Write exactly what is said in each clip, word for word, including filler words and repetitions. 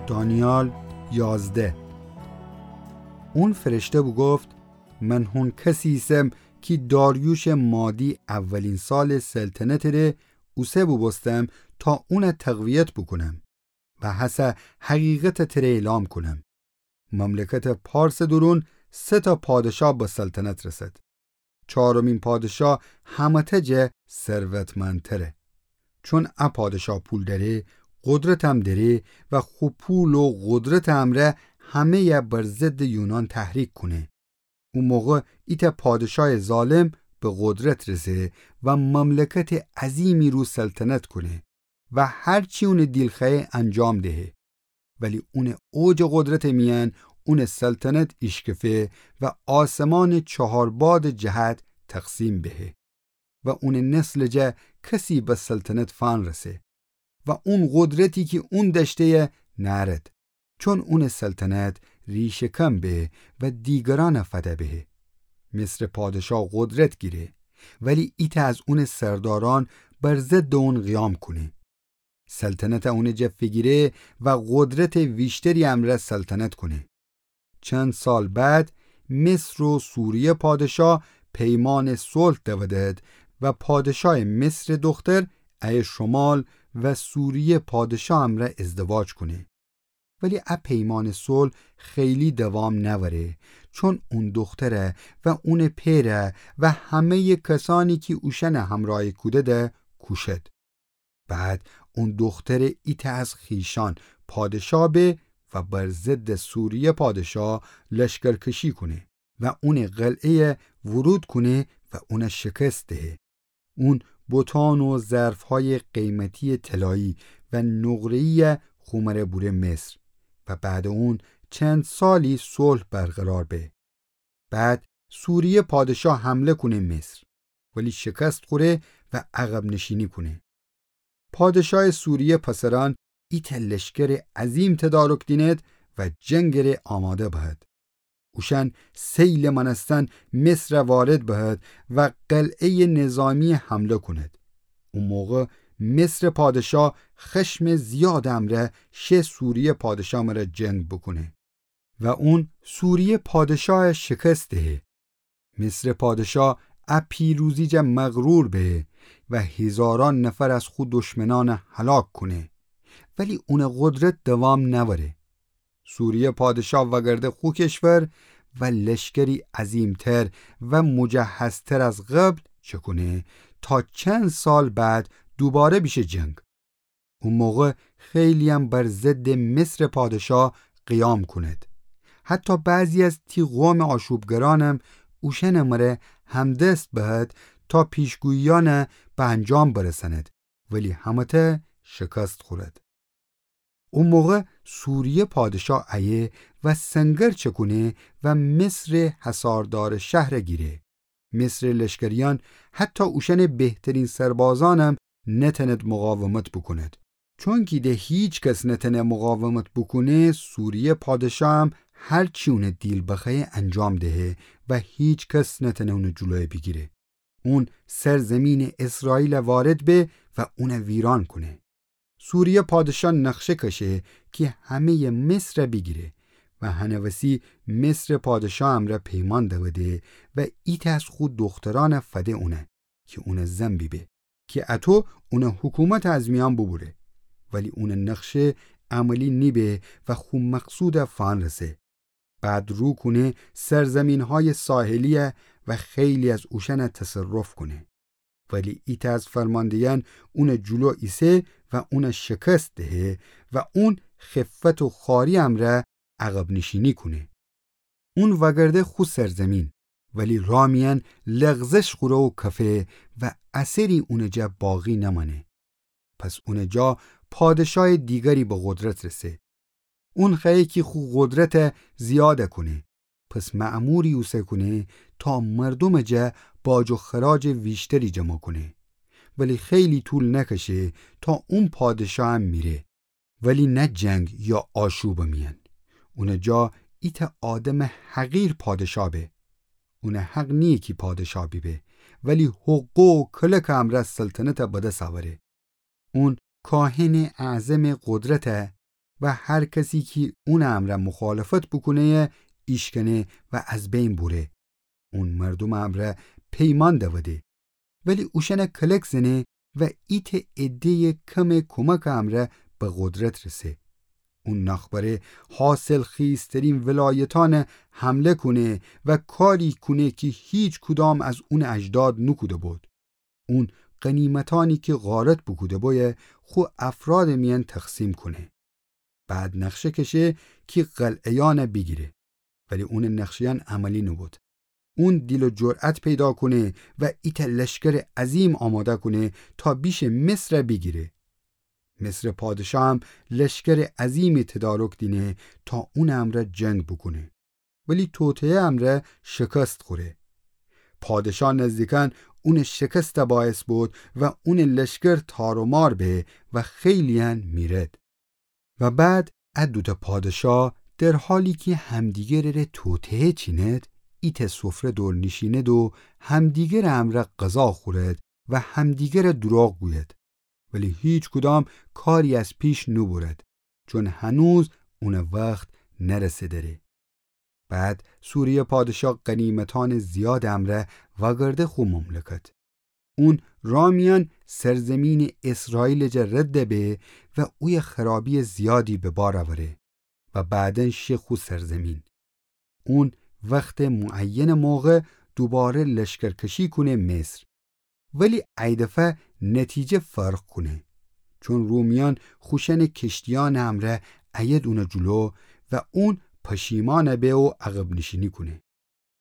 دانیال یازده. اون فرشته بوگفت: من هون کسی ایسم کی داریوشٚ مادی اولین سالٚ سلطنتٚ ره اوسه بوبوستم تا اون تقویت بوکونم و هسه حقیقت تره اعلام کونم. مملکتٚ پارسٚ دورون سه تا پادشا به سلطنت رسد. چارمین پادشا همه‌تأ جه ثروتمندتره. چون ا پادشا پول دأره، قدرتم دأره و خو پول و قدرتٚ امرأ همه‌یَ بر ضدٚ یونان تحریک کونه. او موقع ایتأ پادشایٚ ظالم به قدرت رسه و مملکتٚ عظیمی رو سلطنت کونه و هر چی اونٚ دیل خوأیه انجام دهه. ولی اونٚ اوجٚ قدرتٚ میأن اونٚ سلطنت ایشکفه و آسمانٚ چهار بادٚ جهت تقسیم بهه و اونٚ نسلٚ جا کسی به سلطنت فأنرسه و اون قدرتی کی اون دأشته‌یه نأرد. چون اونٚ سلطنت ریشه‌کن به و دیگرأنَ فده بهه. مصرٚ پادشا قدرت گیره، ولی ایتأ از اونٚ سردارأن بر ضدٚ اون قیام کونه. سلطنتَ اونٚ جا فیگیره و قدرتٚ ویشتری امرأ سلطنت کونه. چند سال بعد مصر و سوریه پادشا پیمانٚ صلح دودد و پادشایٚ مصرٚ دختر ایه شمال و سوریه پادشا امرأ ازدواج کونه. ولی ا پیمانٚ صلح خیلی دوام نأوره، چون اون دخترَ و اونٚ پئرَ و همه‌یٚ کسأنی کی اوشأنَ همرأی کوده‌ده کوشد. بعد اون دختر ایتأ از خویشأن پادشا به و بر ضدٚ سوریه پادشا لشکرکشی کونه و اونٚ قلعه‌یَ ورود کونه و اونَ شکست دهه. اون بتأن و ظرف‌هایٚ قیمتیٚ طلایی و نقره‌یی‌یَ خو مره بوره مصر و بعدٚ اون چند سالی صلح برقرار به. بعد سوریه پادشا حمله کونه مصر، ولی شکست خوره و عقب‌نشینی کونه. پادشایٚ سوریه پسرأن ایتأ لشکرٚ عظیم تدارک دینید و جنگٚ ره آماده بهد. اوشأن سیلٚ مأنستن مصرَ وارد بهد و قلعه‌یٚ نظامی‌یَ حمله کونید. او موقع مصرٚ پادشا خشمٚ زیادٚ امرأ شه سوریه پادشا مره جنگ بوکونه و اون سوریه پادشایَ شکست دهه. مصرٚ پادشا ا پیروزی جا مغرور به و هیزارأن نفر از خو دشمنأنَ هلاک کونه، ولی اونٚ قدرت دوام نأوره. سوریه پادشا وأگرده خو کشور و لشکری عظیم‌تر و مجهزتر از قبل چکونه تا چند سال بعد دوباره بیشه جنگ. او موقع خیلی‌یم بر ضدٚ مصرٚ پادشا قیام کونید. حتی بعضی از تی قومٚ آشوبگرأنم اوشأنٚ مره همدست بهد تا پیشگوییأنَ به انجام برسأنید، ولی همه‌تأ شکست خورید. او موقع سوریه پادشا ایه و سنگر چکونه و مصرٚ حصاردارٚ شهرَ گیره. مصرٚ لشکریأن حتی اوشأنٚ بهترین سربازأنم نتأنید مقاومت بوکونید. چونکی ده هیچ کس نتأنه مقاومت بوکونه، سوریه پادشاهم هر چی اونٚ دیل بخوأیه انجام دهه و هیچ کس نتأنه اونٚ جلویَ بیگیره. اون سرزیمینٚ اسرائیلَ وارد به و اونَ ویران کونه. سوریه پادشا نقشه کشه کی همه‌یٚ مصرَ بیگیره و هنٚ وسی مصرٚ پادشا امرأ پیمان دوده و ایتأ از خو دخترأنَ فده اونَ کی اونٚ زن بیبه، کی اطو اونٚ حکومتَ از میأن بوبوره. ولی اونٚ نقشه عملی نیبه و خو مقصودَ فأنرسه. بعد رو کونه سرزیمین‌هایٚ ساحلیَ و خیلی از اوشأنَ تصرف کونه. ولی ایتأ از فرمانده‌یأن اونٚ جلو ایسه و اونَ شکست دهه و اون خفت و خواریٚ امرأ عقب‌نشینی کونه. اون وأگرده خو سرزیمین، ولی رأ میأن لغزش خوره و کفه و اثری اونٚ جا باقی نمأنه. پس اونٚ جا پادشایٚ دیگری به قدرت رسه. اون خوأیه کی خو قدرتَ زیادَ کونه. پس مأموری اوسه کونه تا مردومٚ جا باج و خراجٚ ویشتری جمع کونه. ولی خیلی طول نکشه تا اون پادشاهم میره. ولی نه جنگ یا آشوبٚ میأن. اونٚ جا ایتأ آدمٚ حقیر پادشا به. اونٚ حق نییه کی پادشا بیبه، ولی حقه و کلکٚ امرأ سلطنتَ به دس اوره. اون کاهنٚ اعظمٚ قدرتَ و هر کسی کی اونٚ امرأ مخالفت بوکونه‌یه ایشکنه و از بین بوره. اون مردومٚ امرأ پیمان دوده، ولی اوشأنه کلک زنه و ایتأ عده‌یٚ کمٚ کمکٚ امرأ به قدرت رسه. اون ناخبره حاصلخیزترین ولایتأنه حمله کونه و کاری کونه کی هیچ کدام از اونٚ اجداد نوکوده بود. اون غنیمتأنی کی غارت بوکوده بویه خو افرادٚ میأن تقسیم کونه. بعد نقشه کشه کی قلعه‌یأنه بیگیره. ولی اونٚ نقشه‌یأن عملی نوبود. اون دیل و جرأت پیدا کونه و ایتأ لشکرٚ عظیم آماده کونه تا بیشه مصره بیگیره. مصرٚ پادشاه هم لشکرٚ عظیمی تدارک دینه تا اونٚ امرأ جنگ بوکونه. ولی توطئه امرأ شکست خوره. پادشاه نزدیکأن اونٚ شکسته باعث بود و اونٚ لشکر تار و مار به و خیلی‌یأن میرد. و بعد ا دوتأ پادشاه در حالی کی همدیگرٚ ره توطئه چیند، ایتأ سفره دور نیشیند و همدیگرٚ امرأ غذا خورد و همدیگره دوراغ گوید. ولی هیچ کدام کاری از پیش نوبرد، چون هنوز اونٚ وخت نرسه دره. بعد سوریه پادشاه غنیمتأنٚ زیادٚ امرأ وأگرده خو مملکت. اون راه میأن سرزمینٚ اسرائیلٚ جا رد به و اویه خرابیٚ زیادی به بار اوره و بعداً شه خو سرزمین. اون وختٚ معینٚ موقع دوباره لشکرکشی کونه مصر. ولی ایدفعه نتیجه فرق کونه. چون رومیأن خوشأنٚ کشتیأنٚ امرأ ایید اونٚ جلو و اون پشیمأن به و عقب‌نشینی کونه.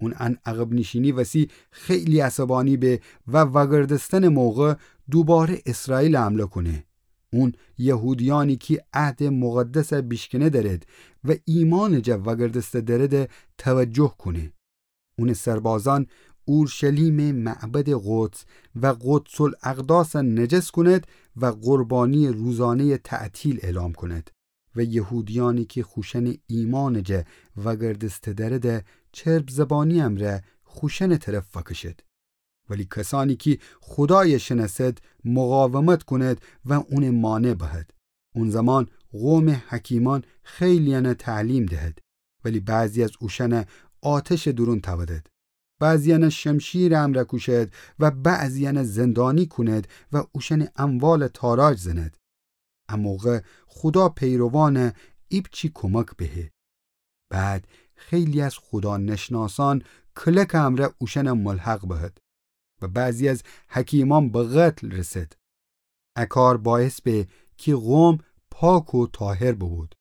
اون ان عقب‌نشینی وسی خیلی عصبانی به و وأگردستنٚ موقع دوباره اسرائیل حمله کونه. اون یهودیأنی کی عهدٚ مقدس بیشکنه درد و ایمأنٚ جا وأگردسته درد توجه کونه. اونٚ سربازأن اورشلیمٚ معبدٚ قدس و قدس‌الاقداسَ نجس کند و قربانیٚ روزانه‌یَ تعطیل اعلام کند و یهودیأنی کی خوشأنٚ ایمأنٚ جا وأگردسته درد چرب‌زبانی امرأ خوشأنٚ طرف فکشد. ولی کسأنی کی خودایَ شنأسد مقاومت کند و اونَ مانع بهد. اون زمان قومٚ حکیمأن خیلی‌یأنَ تعلیم دهد، ولی بعضی از اوشأنَ آتشٚ دورون تأودد. بعضی‌یأنَ شمشیرٚ امرأ کوشد و بعضی‌یأنَ زندانی کند و اوشأنٚ اموالَ تاراج زند. ا موقع خودا پیروانَ ایپچی کمک بهه. بعد خیلی از خودانشناسأن کلکٚ امرأ اوشأنَ ملحق بهد و بعضی از حکیمأن به قتل رسد. ا کار باعث به کی قوم پاک و طاهر ببود.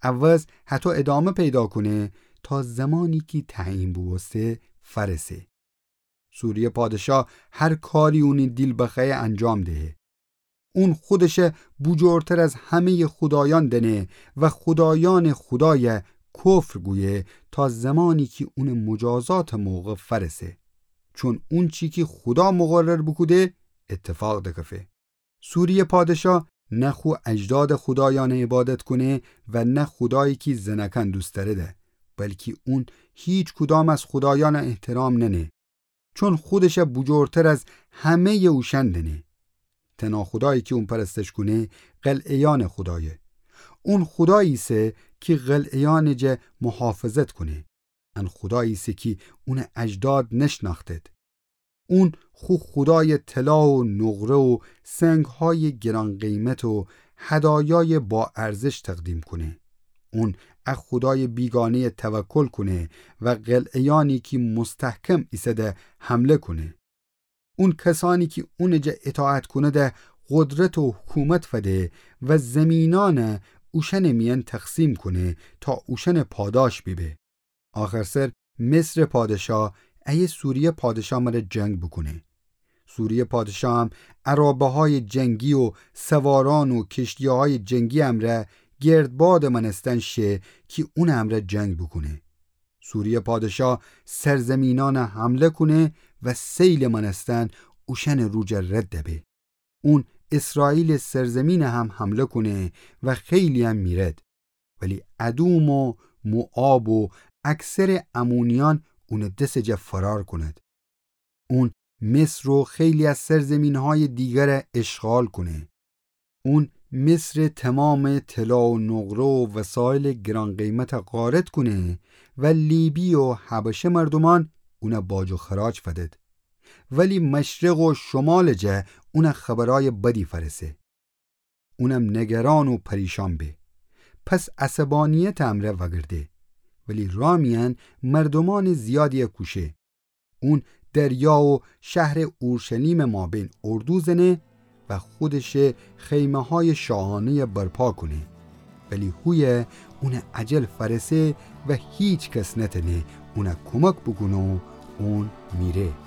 عوض هطو ادامه پیدا کونه تا زمانی کی تعیین بوبوسته فأرسه. سوریه پادشاه هر کاری اونی دیل بخوأیه انجام دهه. اون خودشَ بوجورتر از همه‌یٚ خودایأن دأنه و خودایأنٚ خودایَ کفر گویه تا زمانی کی اونٚ مجازاتٚ موقع فأرسه. چون اونچی کی خودا مقرر بوکوده اتفاق دکفه. سوریه پادشاه نه خو اجدادٚ خودایأنَ عبادت کونه و نه خودایی کی زنأکأن دوست دأرده، بلکی اون هیچ کدام از خودایأنَ احترام نأنه. چون خودشَ بوجورتر از همه‌یٚ اوشأن دأنه. تنها خودایی کی اون پرستش کونه، قلعه‌یأنٚ خودایه. اون خودایی ایسه کی قلعه‌یأنٚ جا محافظت کونه. ان خودایی ایسه کی اونٚ اجداد نشنأختد. اون خو خودایَ طلا و نقره و سنگ‌هایٚ گران‌قیمت و هدایایٚ باارزش تقدیم کونه. اون ا خودایٚ بیگانه‌یَ توکل کونه و قلعه‌یأنی کی مستحکم ایسه‌ده حمله کونه. اون کسأنی کی اونٚ جا اطاعت کونده قدرت و حکومت فده و زیمینأنَ اوشأنٚ میأن تقسیم کونه تا اوشأنٚ پاداش بیبه. آخرسر مصرٚ پادشاه ایه سوریه پادشاه مرا جنگ بوکونه. سوریه پادشاه هم عرابه‌هایٚ جنگی و سوارأن و کشتی‌هایٚ جنگی امرأ گردبادٚ مأنستن شه کی اونٚ امرأ جنگ بوکونه. سوریه پادشاه سرزیمینأنَ حمله کونه و سیلٚ مأنستن اوشأنٚ رو جا رد به. اون اسرائیلٚ سرزیمینَ هم حمله کونه و خیلی‌یأن میرد. ولی ادوم و موآب و اکثرٚ عمونیأن اونٚ دسٚ جا فرار کند. اون مصر و خیلی از سرزیمین‌هایٚ دیگرَ اشغال کونه. اون مصرٚ تومامٚ طلا و نقره و وسایلٚ گران‌قیمتَ غارت کونه و لیبی و حبشه مردومأن اونَ باج و خراج فدید. ولی مشرق و شمالٚ جا اونَ خبرأیٚ بدی فأرسه. اونم نگران و پریشان به. پس عصبانیتٚ امرأ وأگرده. ولی رأ میأن مردومأنٚ زیادیَ کوشه. اون دریا و شهرٚ اورشلیمٚ مابین اردو زنه و خودشٚ خیمه‌هایٚ شاهانه‌یَ برپا کونه. ولی هویه اونٚ اجل فأرسه و هیکس نتأنه اونَ کمک بوکونه و اون میره.